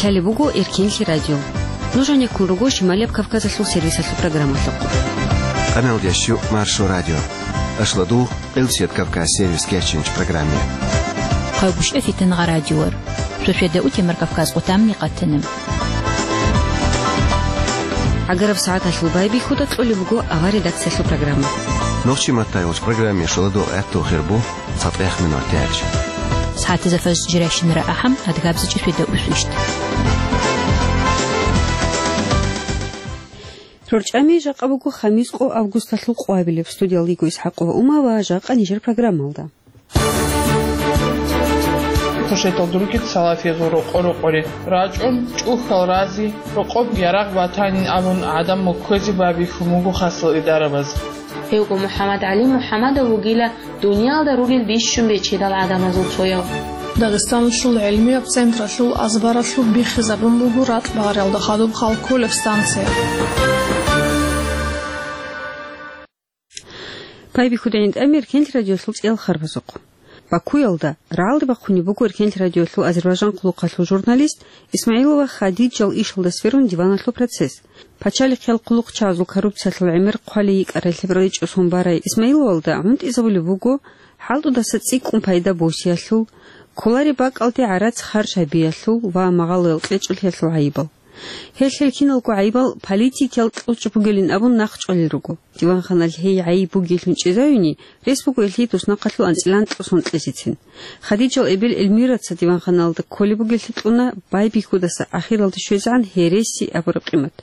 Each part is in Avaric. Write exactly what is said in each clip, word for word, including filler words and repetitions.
Лъалеб буго Эркенлъи радио. Нуж гьанеккун руго Шималияб Кавказалъул сервисалъул программалъухъ. Къаналдиящу Маршо радио. Ашладу Къилсият Кавказ сервис кечинч программе. Хъайбушев Фитнагъа радиор. Шошведа утемар Кавказ къутамни къатана. ГӀагараб сагӀаталъул байбихьуда кьолеб буго авар редакциялъул программа. Нохчи маттайулч программе шоладу гӀатту хирбу. ЦатӀех минут дяч. СагӀатазда фажр жирайщинара ахӀам, адгабзичӀи феда усвищт. РорчӀами жакъа буго хамис къо августалъул къвабилеб. Студиялда йиго ИсхӀакъова Ума ва жакъа нижер программалда. Хушетал дурги салафиязул рокъо-рокъори рачӀун, чӀухьал рази, рокъоб ярагъ батанин абун гӀадамал кквезе байбихьун буго хасал идарабаз. Гьевго МухӀаммад ГӀали МухӀаммадов вугила дуниялда ругел бищун бечедал гӀадамазул цояв. Дагъистаналъул гӀилмияб централъул азбаралъуб биххизабун буго ракь багъариялда хадуб Халкулев станция. Байбихьуда гӀинтӀамир Эркенлъи радиолъул цӀиял харбазухъ. Бакуялда рагӀалде бахъунеб буго Эркенлъи радиолъул азербайжан хъулухъалъул журналист Исмаилова Хадиджал ишалда сверун диваналъул процесс. Пачалихъиял хъулухъчагӀазул коррупциялъул гӀемер хъвалей йикӀарай лъебраличӀо сон барай Исмаиловалда гӀунтӀизабулеб буго хӀалтӀудаса цӀикӀкӀун пайда босиялъул, кколареб бакӀалде гӀарац харж гьабиялъул ва магъалоял кьечӀолъиялъул гӀайибал. Гьелъ гьел киналго гӀайибал политикиял кьучӀ бугилин абун нахъчӀвалел руго. Диванханалъ гьей гӀайиб бугейлъун чӀезавине рес буго гьелъие туснахъалъул анцӀила анкьго сон кьезецин. Хадиджал эбел Эльмираца диванханалда кколеб бугеллъи кьуна байбихьудаса ахиралде щвезегӀан гьереси абураб къимат.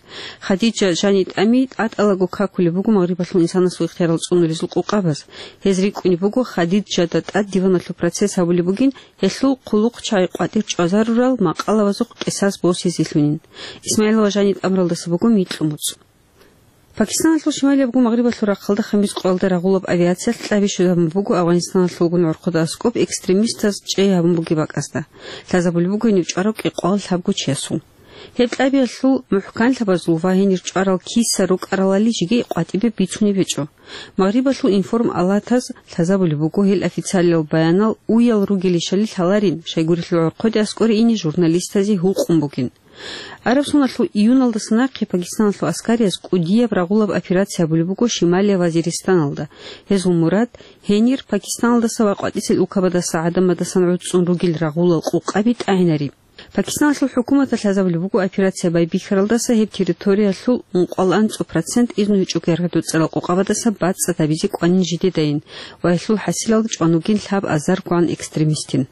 Хадиджа жани-тӀами тӀатӀалаго какулеб буго магърибалъул инсанасул ихтиярал цӀунулезул къокъабаз. Гьез рикӀкӀунеб буго Хадиджада тӀад диваналъул процесс гьабулеб бугин, гьелъул хъулухъчагӀи къватӀир чӀвазарурал макъалабазухъ къисас босизелъунин. Исмаилова жани тӀамуралдаса буго микьу муцӀ. Пакистаналъул шималиябго Магърибалъул рахъалда хамис къоялда рагъулаб авиациялъ кьаби щвезабун буго Афгъанистаналъулгун гӀорхъуда аскӀоб экстремистаз чӀей гьабун бугеб бакӀазда. Лъазабулеб буго гьенив чӀварав кӀикъоялъабго чиясул. Гьеб кьабиялъул мухӀканлъабазул ва гьенир чӀварал киса рукӀаралали жеги къватӀибе бицунеб гьечӀо. Магърибалъул информалатаз лъазабулеб буго гьел официалиял баянал уял ругелищали лъаларин, щайгурелъул гӀорхъоде аскӀоре ине журналистазе гьукъун бугин. Араб соналъул июналдаса нахъе Пакистаналъул аскариялъ кӀудияб рагъулаб операция гьабулеб буго Шималия Вазиристаналда. Гьезул мурад гьенир Пакистаналдаса ва къватӀисел улкабадаса гӀадамадасан гӀуцӀцӀун ругел рагъулал къокъаби тӀагӀинари. Пакистаналъул хӀукуматалъ лъазабулеб буго операция байбихьаралдаса гьеб территориялъул ункъоялда анцӀго процент изну гьечӀого яргъи-доцӀарал къокъабадаса бацӀцӀад гьабизе кӀванин жидедайин ва гьелъул хӀасилалда чӀван вугин лъаб азаргогӀан экстремистин.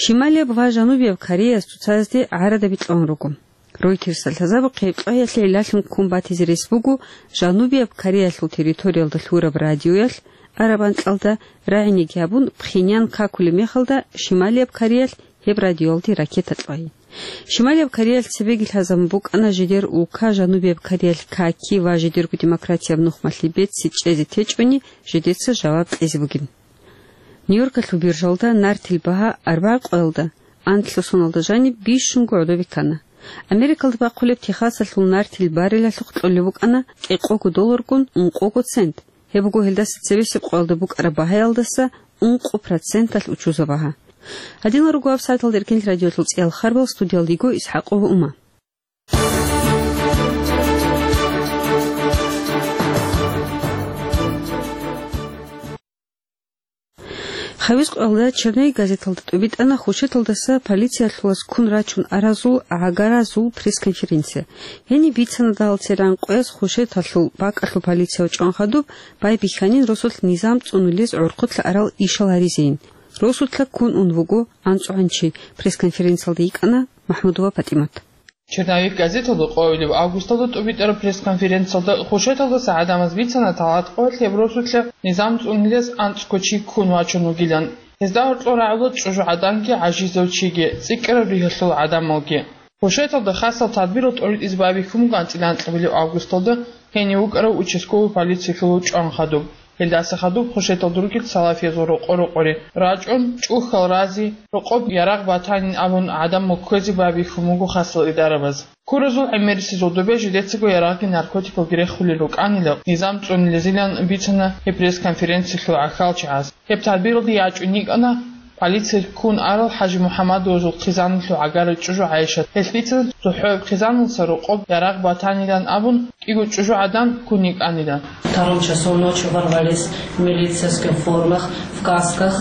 Шималияб ва Жанубияб Кореяс цоцазде гӀарадаби кьун руго. Ройтерсалъ лъазабухъе гьеб кьваялъе гӀиллалъун ккун батизе рес буго Жанубияб Кореялъул территориялда лъураб радиоялъ, араб анкьалда рагӀинеги гьабун, Пхеньян какулеб мехалда Шималияб Кореялъ гьеб радиоялде ракета кьвай. Шималияб Кореялъ цебеги лъазабун букӀана жидер улка Жанубияб Кореялъ каки ва жидерго демократияб нухмалъи беци чӀезе течӀони жидеца жаваб кьезе бугин. Нью-Йоркалъул биржалда нартил багьа арбагъ къоялда анлъго соналда жаниб бищунго гӀодобе ккана. Америкалда бахъулеб Техасалъул нартил баррелалъухъ кьолеб букӀана кӀикъого долларгун ункъого цент. Гьеб буго гьелдаса цебесеб къоялда букӀараб багьаялдаса ункъо проценталъ учузаб багьа. Гьадинал руго веб-сайталда Эркенлъи радиолъул цӀиял харбал, студиялда йиго ИсхӀакъова Ума. Хавез къоялда «Черновик» газеталда тӀубитӀана хушеталдаса полициялъулаз ккун рачун аразул гӀагаразул пресс-конференция. Гьениб бицана дагьал церан къояз хушеталъул бакӀалъул полицияв чӀван хадуб байбихьанин росулъ низам цӀунулез гӀорхъулъа арал ишал гьаризейин. Росулъа ккун ун вуго анцӀгӀанчи, пресс-конференциялда йикӀана МахӀмудова ПатӀимат. «Черновик» газеталда къоялъ августалда тӀубитӀараб пресс-конференциялда хушеталдаса гӀадамаз бицана тӀалат къоялъ гьеб росулъа низам цӀунулез анцӀго чи ккун вачун вугилан. Гьезда гьоркьор рагӀула чӀужугӀаданги гӀажизав чиги, цӀикӀкӀараб ригьалъул гӀадамалги. Хушеталда хасал тадбирал тӀоритӀизе байбихьун буго анцӀила анкьабилеб августалда гьенив вукӀарав участковый полициялъул чӀван хадуб. Гьелдаса хадуб хушеталда ругел салафиязул рокъо-рокъори рачӀун, чӀухьал рази, рокъоб ярагъ батанин абун гӀадамал кквезе байбихьун буго хасал идарабаз. Куразул гӀемерисезул добе жидецаго ярагъги наркотикалги рехулел рукӀанила, низам цӀунилезилан бицана гьеб пресс-конференциялъул гӀахьалчагӀаз. Гьеб тадбиралде ячӀун йикӀана Полицияялъ ккун арал ХӀажимухӀаммадовазул хъизаналъул гӀагара чӀужу ГӀайшат. Гьелъ бицана цохӀояб хъизаналдаса рокъоб ярагъ батанилан абун, кӀиго чӀужугӀадан ккун йикӀанилан. Втором часу ночи ворвались в милицейских формах, в касках.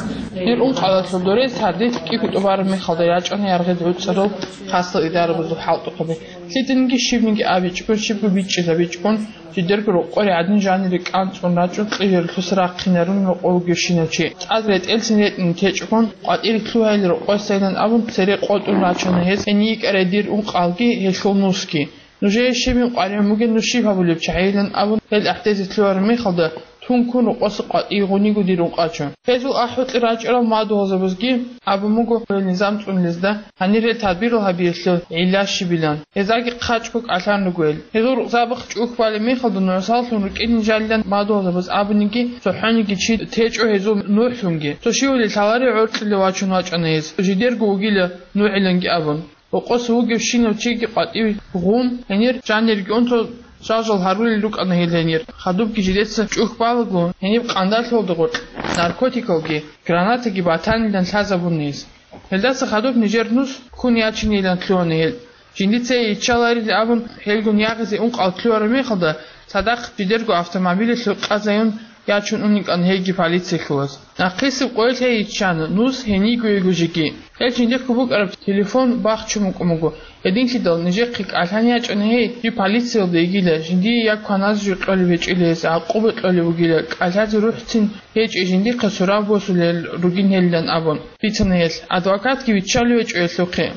Гьеб ункъалалъул дорес гьардихъ кӀиго тӀубараб мехалда ячӀана яргъи гӀуцӀарал хасал идарабазул хӀалтӀухъаби. Лъиданиги щибниги абичӀого, щибго бичӀчӀизабичӀого, жидерго рокъоре гӀадин жанире кӀанцӀун рачӀун, кьижаралъуса рахъинарун рокъов вугевщинав чи. ЦӀад ретӀелцин ретӀине течӀого, къватӀире лъугьайилан рокъосайилан абун, цере къотӀун рачана гьез, гьенив йикӀарай дир ункъалги гьелъул нусги. Нужее щибин къваригӀун бугеб, нуж щиб гьабулеб чагӀийилан абун, гьел ахӀдезе лъугьараб мехалда, тун ккун рокъоса къватӀиве гъуниго дир ункъачӀо. Гьезул ахӀ-гьукьи рачӀарал мадугьалзабазги абун буго гьел низам цӀунулезда, гьанир гьел тадбирал гьабиялъул гӀилла щибилан. Гьездаги хъачӀго кӀалъан руго гьел. Гьезул рукъзабахъ чӀухь балеб мехалда нугӀусаллъун рукӀинин жалилан мадугьалзабаз абуниги, цохӀониги чи течӀо гьезул нухӀлъунги. Цо щивали лъаларе гӀоркьилев вачун вачӀана гьез, жидерго вугила нугӀиланги абун. Рокъоса вугевщинав чиги къватӀиве гъун, гьенир жанирги унтун жал-жал гьарулел рукӀана гьел гьенир. Хадубги жидеца чӀухь балаго, гьениб къандалъуялда гъоркь наркотикалги, гранатаги батанилан лъазабуна гьез. Гьелдаса хадуб нижер нус ккун ячинилан лъугьана гьел. Жинди цее йиччаларил абун, гьелгун ягъизе ункъал лъугьараб мехалда, цадахъ жидерго автомобилалъе къазаюн ячун унин кӀан гьейги полициялъулаз. Нахъисеб къоялъ гьей йиччана, нус гьенийго йиго жеги. Гьел жиндихъго букӀараб телефон бахчун букӀун буго. Гьединлъидал нижехъе кӀалъан ячӀана гьей, жиб полициялда йигила, жиндие я кваназ жо кьолеб гьечӀила гьес, гӀакъуба кьолеб бугила, кӀалъазе рухӀцин гьечӀей жиндихъе сураб босулел ругин гьелилан абун, бицана гьелъ. Адвокатги виччалев гьечӀо гьелъухъе.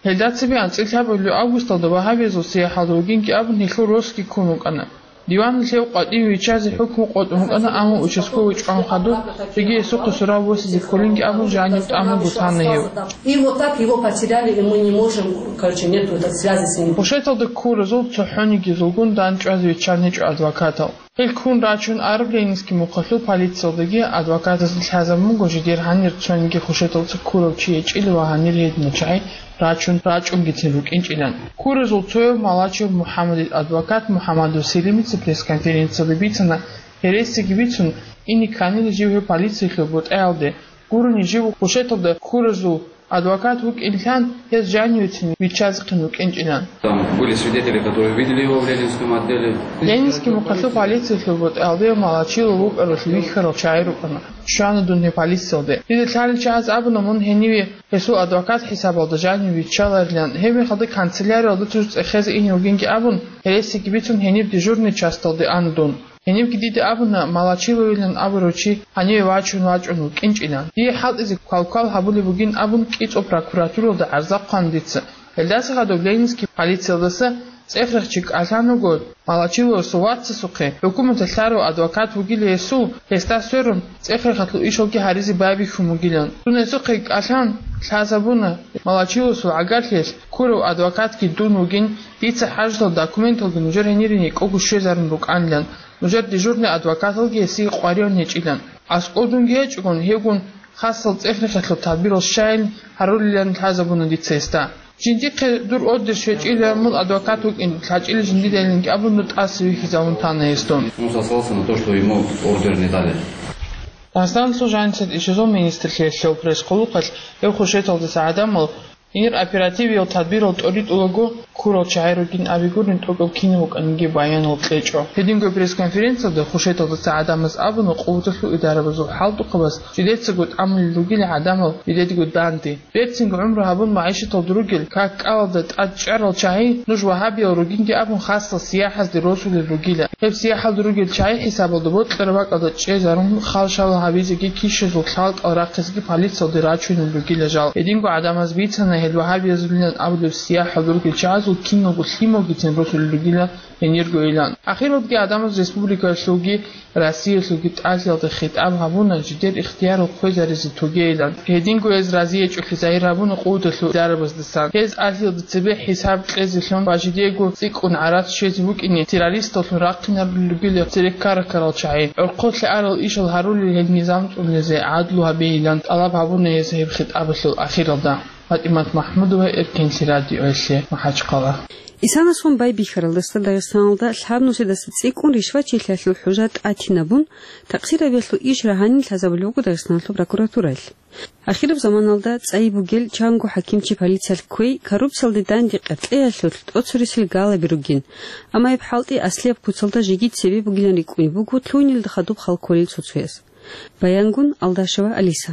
Гьелда цебе анцӀила лъабабилеб августалда вагьабиязул сияхӀалда вугинги абун гьелъул росги ккун вукӀана. Диваналъ гьев къватӀиве виччазе хӀукму къотӀун вукӀана, амма участковый чӀван хадуб, цоги гьесухъе сураб босизе кколинги абун жанив тӀамун бутана гьев. И вот так его потеряли, и мы не можем, короче, нету этой связи с ним. Хушеталда ккуразул цохӀонигизулгун дандчӀвазе виччан гьечӀо адвокатал. Гьел ккун рачун араб Ленинский мухъалъул полициялдаги адвокатазда лъазабун буго жидер гьанир цониги хушеталца ккурав чи гьечӀила ва гьанир гьединал чагӀи рачун рачӀунгицин рукӀинчӀилан. Ккуразул цояв Малачев МухӀаммадил адвокат МухӀаммадов Селимица пресс-конференциялда бицана, гьересиги бицун, ине кканила жив гьев полициялъул бутӀаялде, гурони жив хушеталда ккуразул адвокат вукӀин лъан, гьез жанивецин виччазехъин вукӀинчӀилан. Там были свидетели, которые видели его в Ленинском отделе. Ленинский мухъалъул полициялъул бутӀаялде Малачилов вукӀаралъ вихьарал чагӀи рукӀана. Щвана дун гьев полициялде. Дида лъалел чагӀаз абуна мун гьениве гьесул адвокат хӀисабалда жанив виччаларилан. Гьеб мехалда канцеляриялда цӀуз цӀехезе ине вугинги абун, гьересиги бицун гьениб дежурный часталде ана дун. Гьенибги дида абуна, Малачиловилан абурав чи гьаниве вачун вачӀун вукӀинчӀилан. Дие хӀалтӀизе квалквал гьабулеб бугин абун, кӀицӀул прокуратуралда гӀарза хъван дица. Гьелдаса хадуб Ленинский полициялдаса цӀехрехъ чи кӀалъан вуго, Малачиловасул вацасухъе хӀукуматалъ лъарав адвокат вугила гьесул, гьесда сверун, цӀехрехъалъул ишалги гьаризе байбихьун бугилан. Дун гьесухъе кӀалъан лъазабуна, Малачиловасул гӀагарлъиялъ ккурав адвокатги дун вугин, дица хӀажалъул документалги нужер гьенире никӀого щвезарун рукӀанилан. Нужер дежурный адвокаталги гьесие къваригӀун гьечӀилан. АскӀор дунги гьечӀогун, гьевгун хасал цӀехрехъалъул тадбирал щайин гьарулилан лъазабуна дица гьесда. Жиндихъе дур ордер щвечӀила, мун адвокат вукӀин лъачӀила жиндидайиланги абун, дун тӀаса вихьизавун тана гьес дун. Он сослался на то, что ему ордер не дали. Дагъистаналъул жанисед ишазул министрлъиялъул пресс-къулухъалъ гьев хушеталдаса гӀадамал Гьенир оперативиял тадбирал тӀоритӀулаго ккурал чагӀи ругин абигурин, тӀокӀаб кинаб букӀаниги баянал кьечӀо. Гьединго пресс-конференциялда хушеталдаса гӀадамаз абуна, къуваталъул идарабазул хӀалтӀухъабаз жидецаго тӀамулел ругила гӀадамал жидедего данде. Берцинго гӀумру гьабун, магӀишаталда ругел как-кӀалалда тӀад чӀарал чагӀи нуж вагьабиял ругинги абун, хасал сияхӀазде росулел ругила. Гьеб сияхӀалда ругел чагӀи хӀисабалда бокьараб бакӀалда чӀезарун, халшал гьабизеги кишазул хӀалтӀал рахъизеги полициялде рачунел ругила жал. Гьединго гӀадамаз бицана гьел вагьабиязулилан абулеб сияхӀалда ругел чагӀазул киналго лъималгицин росулел ругила гьениргойилан. Ахиралдаги гӀадамаз республикаялъулги Россиялъулги ТӀадегӀлъиялда хитӀаб гьабуна, жидер ихтиярал хвезаризе тогейилан. Гьединго гьез разиячӀолъи загьир гьабуна къуваталъул идараздасан. Гьез ТӀадегӀлъиялда цебе хӀисаб кьезелъун ва жидего цӀикӀкӀун гӀарац щвезе букӀине, террористаллъун рахъинарулел ругила цереккара ккарал чагӀи. ГӀорхъолъе арал ишал гьарулел гьел низам цӀунулезе гӀадлу гьабейилан тӀалаб гьабуна гьез гьеб хитӀабалъул ахиралда. ПатӀимат МахӀмудова, Эркенлъи радиоялъе, МахӀачхъала. Исанасул байбихьаралдаса Дагъистаналда лъабнусидаса цӀикӀкӀун ришвачилъиялъул хӀужа тӀатинабун, такъсир гьабиялъул иш рагьанин лъазабулеб буго Дагъистаналъул прокуратураялъ. Ахираб заманалда цӀайи бугел чанго хӀакимчи полициялъ кквей коррупциялде данде къеркьеялъулъ тӀоцересел галаби ругин, амма гьеб хӀалтӀи аслияб куцалда жеги цебе бугилан рикӀкӀунеб буго лъугьинелда хадуб хал кколел цо-цояс. Баянгун Алдашева Алиса.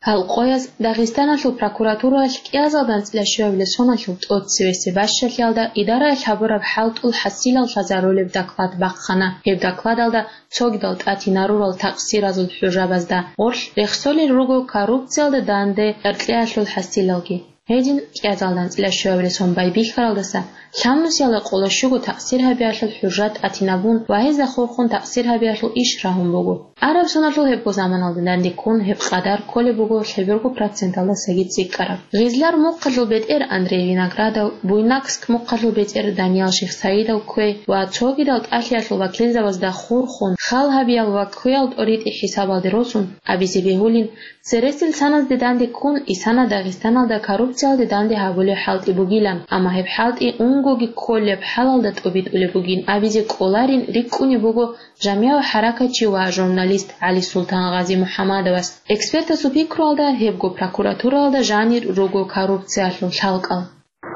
Гьал къояз Дагъистаналъул прокуратураялъ кӀиазалда анцӀила щуабилеб соналъул тӀоцевесеб бащалъиялда идараялъ гьабураб хӀалтӀул хӀасилал лъазарулеб доклад бахъана. Гьеб докладалда цогидал тӀатинарурал такъсиразул хӀужабазда гъорлъ рехсолел руго коррупциялда данде къеркьеялъул хӀасилалги. Гьедин, кӀиазалда анцӀила щуабилеб сон байбихьаралдаса лъабнусиялда къоло щуго такъсир гьабиялъул хӀужа тӀатинабун ва гьезда хурхун такъсир гьабиялъул иш рагьун буго. Араб соналъул гьебго заманалда данде ккун гьеб къадар кколеб буго лъеберго проценталдасаги цӀикӀкӀараб. Гъизлар мухъалъул бетӀер Андрей Виноградов, Буйнакск мухъалъул бетӀер Даниял Шихсаидов кквей ва цогидал тӀалъиялъул вакилзабазда хурхун, хал гьабиял ва кквеял тӀоритӀи хӀисабалде росун, абизе бегьулин, цересел саназде данде ккун, исана Дагъистаналда коррупциялде данде гьабулеб хӀалтӀи бугилан, амма гьеб хӀалтӀи унгоги кколеб хӀалалда тӀобитӀулеб бугин абизе кӀоларин рикӀкӀунеб буго жамигӀав хӀаракатчи ва журналист ГӀалисултан Гъази-МухӀамадовас. Экспертасул пикруялда, гьебго прокуратураялда жанир руго коррупциялъул лъалкӀал.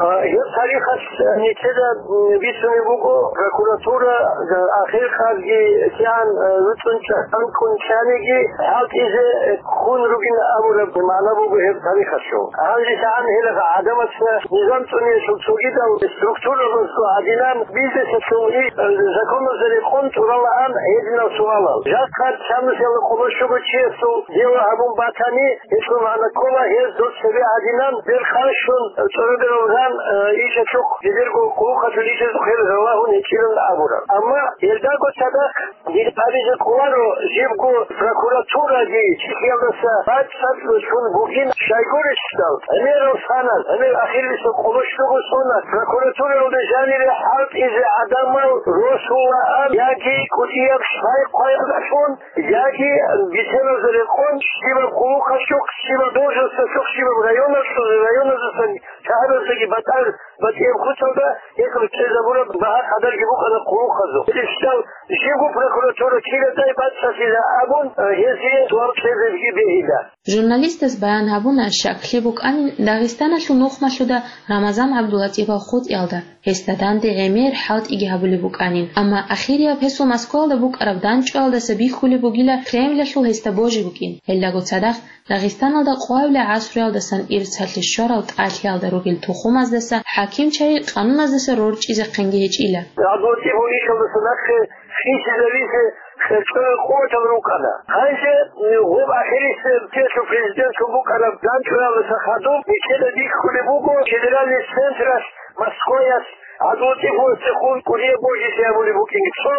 А, гьеб тарихалъ нилъеда, м, бицунеб буго, прокуратура, а, ахирхъазги кигӀан, а, вуцӀцӀун чӀанкӀун чаниги, хӀалтӀизе, э, ккун ругин абураб магӀна буго гьеб тарихалъул. Гьанже лъагӀан гьелъ гӀадамаца низам цӀуниялъул цогидал структурабазго гӀадинан бизнесалъул и, э, законазда рекъон тӀуралаан гьединал суалал. Жакъа лъабнусиялда къоло щуго чиясул дело гьабун батани, гьелъул магӀна ккола, гьез дос цебе гӀадинан, бер къарщун, цӀораберал ран, э, ишалъухъ, жидерго къулухъалъул ишазухъе ралагьун гьечӀилан абураб. Амма гьелдаго цадахъ дир абизе кӀоларо, жибго прокуратураги чилъиялдаса бацӀцӀад лъун бугин щайгурелъул, гӀемерал санал, гӀемер ахирбиса къоло щуго соналъ прокуратуралда жанире хӀалтӀизе гӀадамал росулаан яги кӀудияб лъай-хъваялдалъун, яги бетӀералда рекъон, щибаб къулухъалъухъ, щибаб должносталъухъ, щибаб районалъул, районазасан шагьараздаги батӀа-, батӀияб куцалда гьеб кьезабураб багьа-къадарги букӀана къулухъазул. Гьелъ щал жибго прокуратура кидадай бацӀцӀалъила абун, гьезие суал кьезабиги бегьила. Журналистас баян гьабуна щаклъи букӀанин Дагъистаналъул нухмалъуда Рамазан ГӀабдулатӀипал хутӀиялда. Гьесда данде гӀемер хӀалтӀиги гьабулеб букӀанин, амма ахирияб гьесул Москваялда букӀараб данчӀваялдаса бихьулеб бугила Кремлалъул гьесда божи букӀин. Гьелдаго цадахъ Дагъистаналда къоабилеб гӀасруялдасан ирцалъе щварал тӀалъиялда ругел тухумаздаса хӀакимчагӀи къануназдаса рорчӀизехъинги гьечӀила. ГӀадватӀиб гьуничалдаса нахъе хисизавизе херчӀолел къуватал рукӀана. Гьанже гъоб ахирисеб тесу президентлъун букӀараб данчӀваялдаса хадуб нилъеда бихьулеб буго федеральный централъ Москваялъ ГӀабдулатӀифовасдехун кӀудияб божизе гьабулеб букӀин. Цо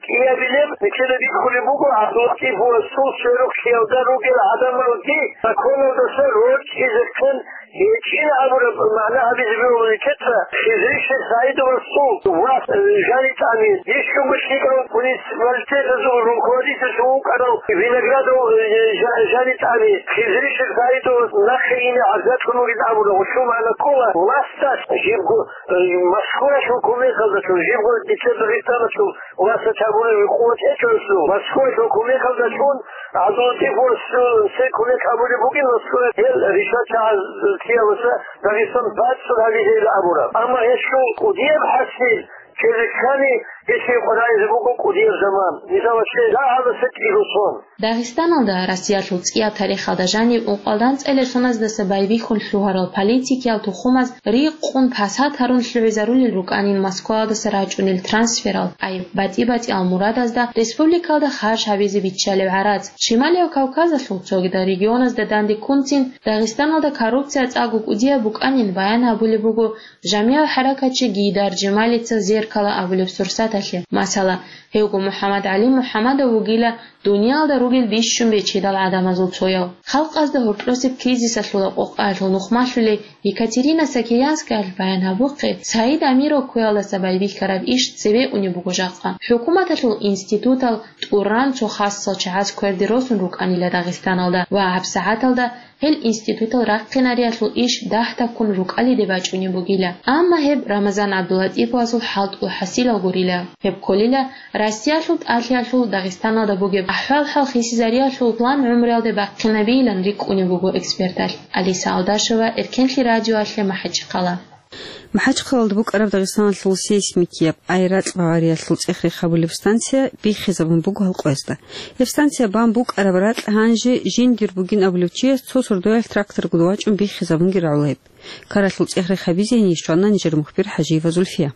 кӀиабилеб нилъеда бихьулеб буго ГӀабдулатӀифовасул сверухълъиялда ругел гӀадамалги законалдаса рорчӀизехъин гьечӀин абураб магӀна гьабизе бегьула нилъеца Хизриши СагӀидовасул вас, э, жанитӀани, бищунго лъикӀал муниципалитетазул руководительлъун вукӀарав Виноградов, э, жа-, жанитӀани, Хизриши СагӀидовас нахъе ине гӀазаблъун вугин абуна. Гьелъул магӀна ккола, власталъ жибго, э, Москваялъул кумекалдалъун, жибго дица Дагъистаналъул власталъ гьабулеб къуват гьечӀолъул, Москваялъул кумекалдалъун ГӀабдулатӀифовасул цо кумек гьабулеб бугин, Москваялъ гьел ришватчагӀазул чиясдаса Дагъистан бацӀцӀад гьабизе абураб. Амма гьелъул кӀудияб хӀасил ккезе ккани, гьелъие къваригӀизе буго кӀудияб заман. Мисалалъе, дагьабаса кӀиго сон. Дагъистаналда Россиялъул цӀияб тарихалда жаниб ункъоялда анцӀила соназдаса байбихьун лъугьарал политикиял тухумаз рикъун пасат гьарун лъугӀизарулел рукӀанин Москваялдаса рачӀунел трансферал, гӀайиб батӀи-батӀиял мурадазда республикалда харж гьабизе биччалеб гӀарац. Шималияб Кавказалъул цогидал регионазда данде ккунцин Дагъистаналда коррупция цӀакъго кӀудияб букӀанин баян гьабулеб буго жамигӀав хӀаракатчи Гейдар Жемалица «Зеркало» абулеб сурсаталъе. Масала, гьевго МухӀаммад ГӀали МухӀаммадов вугила Дуниялда ругел бищун бечедал гӀадамазул цояв. Халкъазда гьоркьосеб кризисалъул къокъаялъул нухмалъулей Екатерина Сакиянскаялъ баян гьабухъе, Саид Амиров кквеялдаса байбихьараб иш цеве унеб буго жакъа. ХӀукуматалъул институтал тӀуран цо хасал чагӀаз кверде росун рукӀанила Дагъистаналда ва гьабсагӀаталда гьел институтал рахъинариялъул иш дагь-дагьккун рукӀалиде бачӀунеб бугила. Амма гьеб Рамазан ГӀабдулатӀиповасул хӀалтӀул хӀасилал гурила. Гьеб кколила Россиялъул тӀалъиялъул Дагъистаналда бугеб ахӀвал-хӀал хисизариялъул план гӀумруялде бахъинабейилан рикӀкӀунеб буго эксперталъ. Алиса Алдашева, Эркенлъи радиоялъе, МахӀачхъала. МахӀачхъалалда букӀараб Дагъистаналъул сейсмикияб ай ракь багъариялъул цӀех-рех гьабулеб станция биххизабун буго гьал къоязда. Гьеб станция бан букӀараб ракь гьанже жиндир бугин абулев чияс цо сордоялъ тракторгун вачӀун биххизабунги рагӀула гьеб. Ккаралъул цӀех-рех гьабизе гьенив щвана нижер мухбир ХӀажиева Зульфия.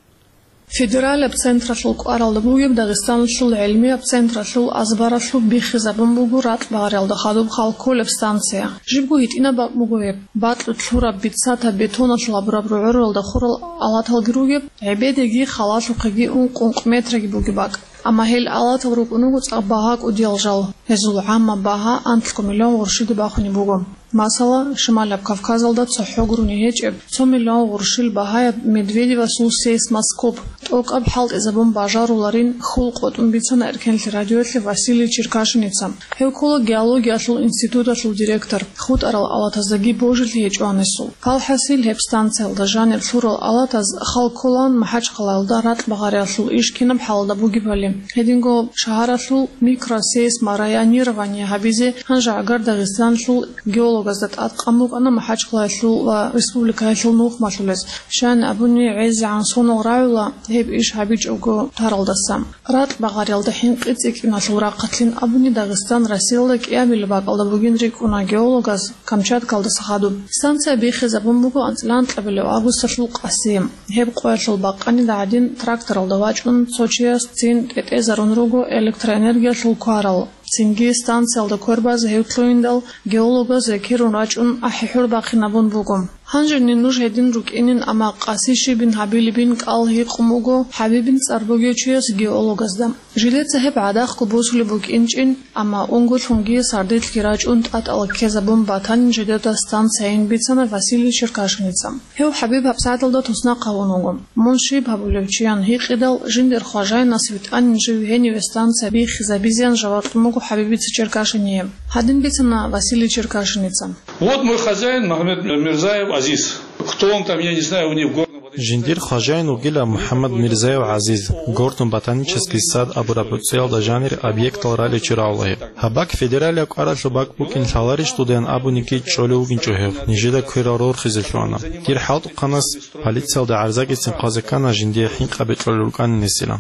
Федералияб централъул кӀваралда бугеб Дагъистаналъул гӀилмияб централъул азбаралъуб биххизабун буго ракь багъариялда хадуб хал кколеб станция. Жибго гьитӀинаб бакӀ буго гьеб. Бакьулъ лъураб бицатаб бетоналъул гьабураб рогӀоралда хурал алаталги ругеб, гӀебедеги халалъухъеги ункъ-ункъ метраги бугеб бакӀ. Амма гьел алатал рукӀун руго цӀакъ багьа кӀудиял жал. Гьезул гӀаммаб багьа анлъго миллион гъурщиде бахунеб буго. Масала, Шималаб Кавказалда цохӀо гурони гьечӀеб, цо миллион гъурщил багьаяб Медведевасул сейсмоскоп тӀокӀаб хӀалтӀизабун бажаруларин хьул къотӀун бицана Эркенлъи радиоялъе Василий Черкашиница. Гьев ккола геологиялъул институталъул директор, хутӀарал алатаздаги божилъи гьечӀо гьанисул. Палхасил гьеб станциялда жанир лъурал алатаз хал кколаан МахӀачхъалаялда ракь багъариялъул иш кинаб хӀалда бугебали. Гьединго шагьаралъул микросейсморайонирование гьабизе гьанжегӀагар Дагъистаналъул геологазда тӀадкъан букӀана МахӀачхъалаялъул ва республикаялъул нухмалъулез. Щайин абуни, гӀезегӀан сонал рагӀула гьеб иш гьабичӀого таралдаса. Ракь багъариялда хӀинкъи цӀикӀкӀиналъул рахъалъин абуни, Дагъистан Россиялда кӀиабилеб бакӀалда бугин рикӀкӀуна геологаз Камчаткалдаса хадуб. Станция биххизабун буго анцӀила анкьабилеб августалъул къаси. Гьеб къоялъул бакъанида гӀадин тракторалда вачӀун цо чияс цин тӀетӀезарун руго электроэнергиялъул кварал. Цинги станциялда квербазе гьев лъугьиндал, геологаз рекерун рачӀун ахӀи-хӀур бахинабун буго. Гьанжени нуж гьедин рукӀинин, амма къаси щибин гьабилебин кӀал гьикъун буго ХӀабибин цӀар бугев чияс геологазда. Жилеца гьеб гӀадахъго босулеб букӀинчӀин, амма унго-лъунги сардилъги рачӀун тӀатӀала ккезабун батанин жидеда станцияйин бицана Василий Черкашиница. Гьев ХӀабиб гьабсагӀаталда туснахъ гьавун вуго. Мун щиб гьабулев чиян гьикъидал, жиндир хважайнас витӀанин жив гьениве станция биххизабизеян жаваб кьун буго ХӀабибица Черкашиница. Гьадин бицана Василий Черкашиница. Вот мой хозяин Магомед Мирзаев Азиз. Кто он там, я не знаю, у них в горном... Жиндир хважайин вугила МухӀаммад Мирзаев ГӀазиз, горно-ботанический сад абураб гӀуцӀиялда жанир объектал раличи рагӀула гьеб. Гьаб бакӀ федералияб кӀваралъул бакӀ букӀин лъаларищ дуда ян абунигиги чӀолев вугинчӀо гьев, нижеда кверал рорхизе лъугьана. Дир хӀалтӀухъанас полциялда гӀарзагицин хъвазе ккана жиндие хӀинкъаби кьолел рукӀанин гьесилан.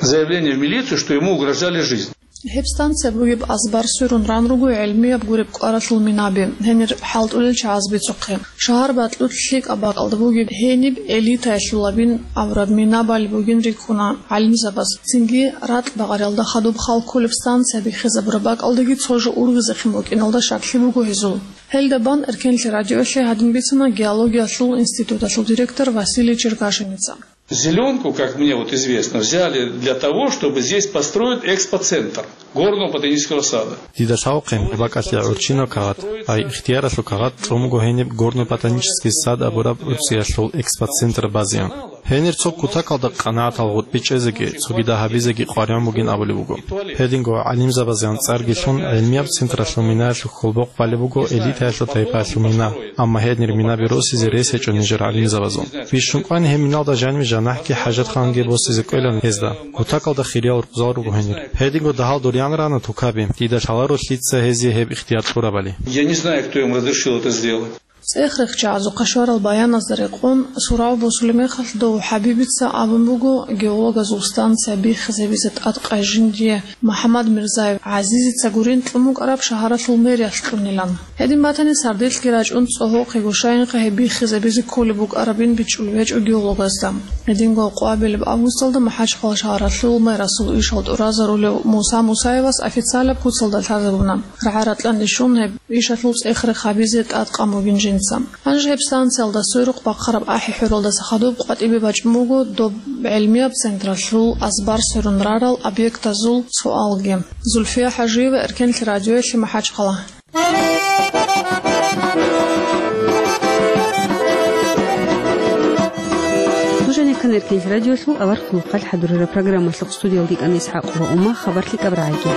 Заявление в милицию, что ему угрожали жизнь. Гьеб станция бугеб азбар сверун ран руго гӀилмияб гуреб кӀваралъул минаби, гьенир хӀалтӀулел чагӀаз бицухъе. Шагьар бакьулъ лъикӀаб бакӀалда бугеб гьениб элитаялъулабин абураб минабали бугин рикӀкӀуна гӀалимзабаз. Цинги ракь багъариялда хадуб хал кколеб станция биххизабураб бакӀалдаги цо жо ургъизехъин букӀиналда щаклъи буго гьезул. Гьелда бан Эркенлъи радиоялъе гьадин бицана геологиялъул институталъул директор Василий Черкашиница. Зелёнку, как мне вот известно, взяли для того, чтобы здесь построить экспоцентр горного ботанического сада. Дида лъавухъе, гьеб бакӀалъе гӀурччинаб кагъат, ай ихтияралъул кагъат, чӀун буго гьениб горно-ботанический сад абураб гӀуцӀиялъул экспоцентр базеян. Гьенир цо кутакалда къанагӀатал гъутӀби чӀезеги, цогидал гьабизеги къваригӀун бугин абулеб буго. Гьединго гӀалимзабазеян цӀарги лъун, гӀилмияб централъул минаялъул хьулбохъ балеб буго элитаялъул тайпаялъул мина, амма гьенир минаби росизе рес гьечӀо нижер гӀалимзабазул. Бищун кӀвани гьеб миналда жаниб жанахӀги хӀажатханги босизе кӀвелан гьезда. Кутакалда хириял рукъзал руго гьенир. Гьединго дагьал дурян рана тукаби, дида лъаларо лъица гьезие гьеб ихтияр кьурабали. Я не знаю, кто им разрешил это сделать. ЦӀех-рехчагӀазухъа щварал баяназда рекъон, сурав босулеб мехалъ дов ХӀабибица абун буго, геологазул станция биххизабизе тӀадкъай жиндие МухӀаммад Мирзаев ГӀазизица гурин кьун букӀараб шагьаралъул мэриялъ кьунилан. Гьедин батани, сардилъги рачӀун цӀогьохъего щайинха гьеб биххизабизе кколеб букӀарабин бичӀчӀулеб гьечӀо геологазда. Гьединго къоабилеб августалда МахӀачхъала шагьаралъул мэрасул ишал тӀуразарулев Муса Мусаевас официалаб куцалда лъазабуна. РагӀа-ратӀлъан рищун гьеб ишалъул цӀех-рех гьабизе тӀадкъан бугин жинца. Гьанже гьеб станциялда сверухъ бахъараб ахӀи-хӀуралдаса хадуб къватӀибе бачӀун буго доб гӀелмияб централъул азбар сверун рарал объектазул суалги. Зульфия ХӀажиева, Эркенлъи радиоялъе, МахӀачхъала. Нуж гьанир ккани Эркенлъи радиоялъул аварагасул хъалихъ хӀадурараб программалъухъ, студиялда йикӀана ИсхӀакъ ва Ума. Хабар лъикӀаб рагӀиги.